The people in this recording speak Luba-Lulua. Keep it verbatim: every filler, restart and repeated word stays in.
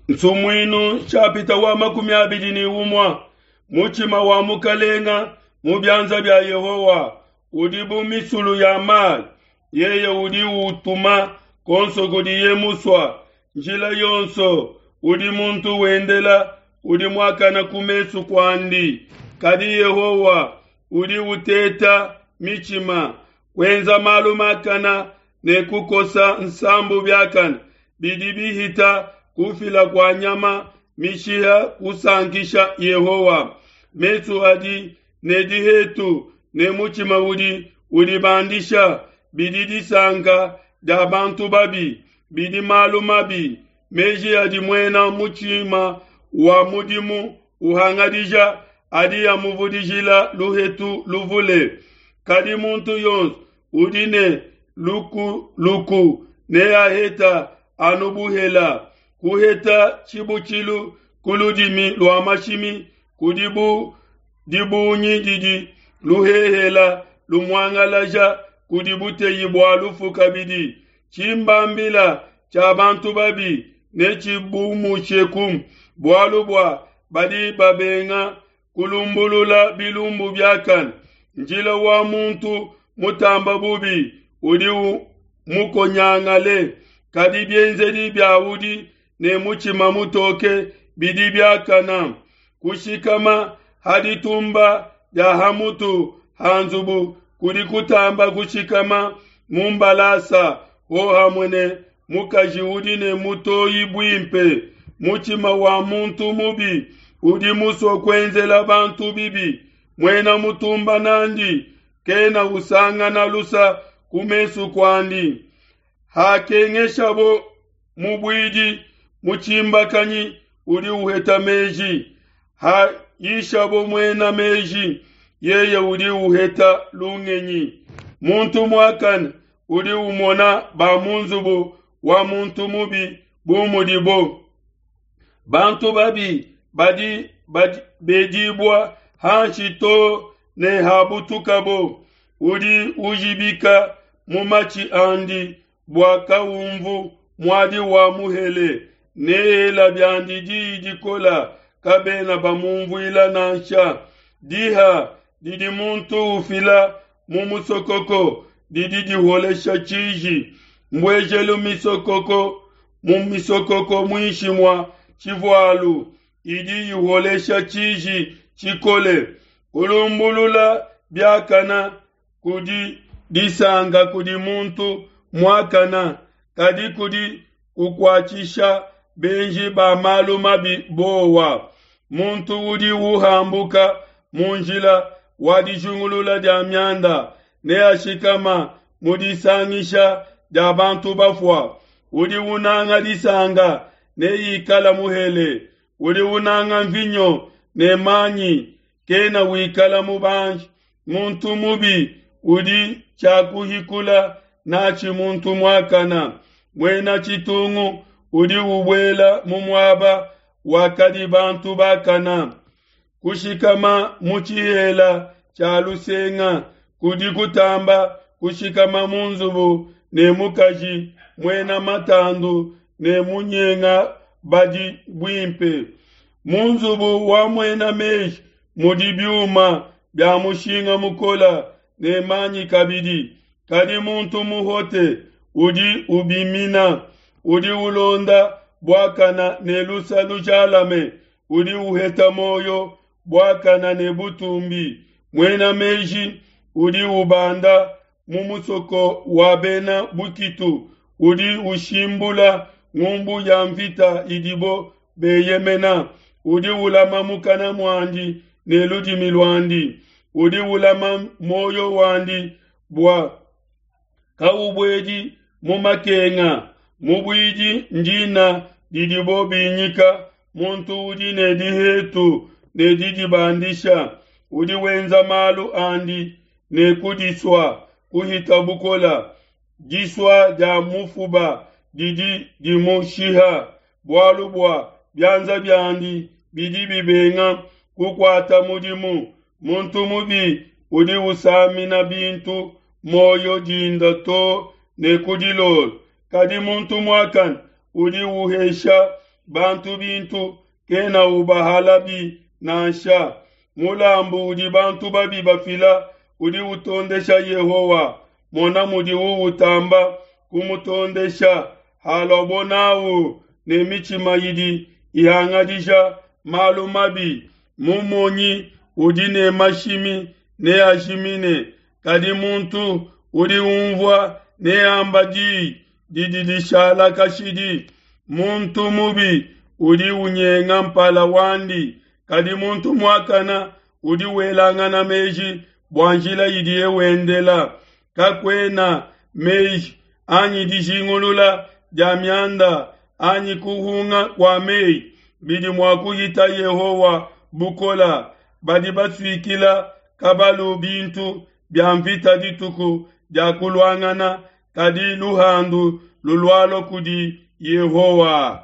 Nsumuinu nshapita wa makumi abidi ne umue. Mutshima wa mukalenga mu bianza bia Yehowa udi bu misulu ya mayi, yeye udi utuma konso kudiye musua. Njila yonso udi muntu wendela udi muakana ku mesu kuandi, kadi Yehowa udi uteta mitshima. Kuenza malu makana ne kukosa nsambu biakane bidi bihita kufila kua nyama mishiha kusankisha Yehowa. Mesu adi ne dihetu ne mutshima udi udibandisha bidi disanka dia bantu babi, bidi malu mabi. Meji adi muena mutshima wa mudimu uhangadija adi amuvudijila luhetu luvule. Kadi muntu yonso udi ne lukuluku neaheta anu buhela. Kuheta tshibutshilu ku ludimi lua mashimi kudi bu dibungi didi luhehela lumuangalaja kudi buteyi bua lufu kabidi. Tshimbambila tshia bantu babi netshibumusheku, bualu bua badi babenga kulumbulula bilumbu biakane. Njila wa muntu mutamba bubi udi mukonyangale, kadi bienzedi bia udi ne mutshima mutoke bidi biakana. Kushikama ha ditumba dia ha mutu ha nzubu kudi kutamba kushikama mu mbalasa hohamue ne mukaji udi ne mutoyi buimpe. Mutshima wa muntu mubi udi musue kuenzela bantu bibi, muena mutumba nandi kena usangana lusa ku mesu kuandi. Hakengeshabo mubuidi mutshimbakanyi udi uheta meji, hayishabo muena meji yeye udi uheta lungenyi. Muntu muakane udi umona ba mu nzubu wa muntu mubi bu mudibo. Bantu babi badi bedibua hanshi to ne habutukabo. Udi ujibika mu matshi andi bua kaumvu muadi wa muhele, neela biandi diyi dikola, kabena bamumvuila nansha. Diha didi muntu ufila mu musokoko didi diholesha tshiji. Mbuejelu misokoko mu misokoko muinshi mua tshivualu idi iholesha tshiji tshikole. Kulumbulula biakana kudi disanka kudi muntu muakana, kadi kudi kukuatshisha benji ba malu mabi bowa. Muntu udi uhambuka mu njila wa dijingulula dia mianda neashikama mu disangisha dia bantu bafua. Udi unanga disanka neikala muhele, udi unanga mvinyo ne manyi kena wikala mubanji. Muntu mubi udi tshiakuhikula natshi muntu muakana, muena tshitungu udi ubuela mu muaba wakadi bantu bakana. Kushikama mu tshihela tshia lusenga kudi kutamba kushikama mu nzubu ne mukaji muena matandu ne munyenga badi buimpe. Mu nzubu wa muena meji mudi biuma bia mushinga mukola ne manyi kabidi, kadi muntu muhote udi ubimina. Udi ulonda buakana ne lusa lujalame udi uheta muoyo buakana ne butumbi. Muena meji udi ubanda mu musoko wa bena bukitu, udi ushimbula ngumbu ya mvita idibo beyemena. Udi ulama mukana muandi ne ludimi luandi, udi ulama muoyo wandi bua kaubuedi mu makenga. Mubuidi ndina didibo binyika muntu udi ne dihetu ne didibandisha, udi wenza malu andi ne kudisua kuhita bukola. Disua dia mufuba didi dimushiha, bualu bua bianza biandi bidi bibenga kukuata mudimu. Muntu mubi udi usamina bintu muoyo dinda to ne ku dilolo, kadi muntu muakane udi uhesha bantu bintu, kena ubahalabi nansha. Mulambu udi bantu babi bafila udi utondesha Yehowa. Mona mudiwu utamba kumutondesha haluabo n'au ne mitshima idi ihangadija malu mabi. Mumonyi udi ne mashimi neajimine, kadi muntu udi unvua neamba di didi dishala kashidi. Muntu mubi udi unyenga mpala wandi, kadi muntu muakana udi welangana meji bua njila idiye wendela. Kakuena meji anyi dijingulula dia mianda anyi kuhunga kua mei bidi mua kuhita Yehowa bukole. Badi basuikila kabalu bintu bia nvita dituku dia kuluangana, kadi luhandu lulualua kudi Yehowa.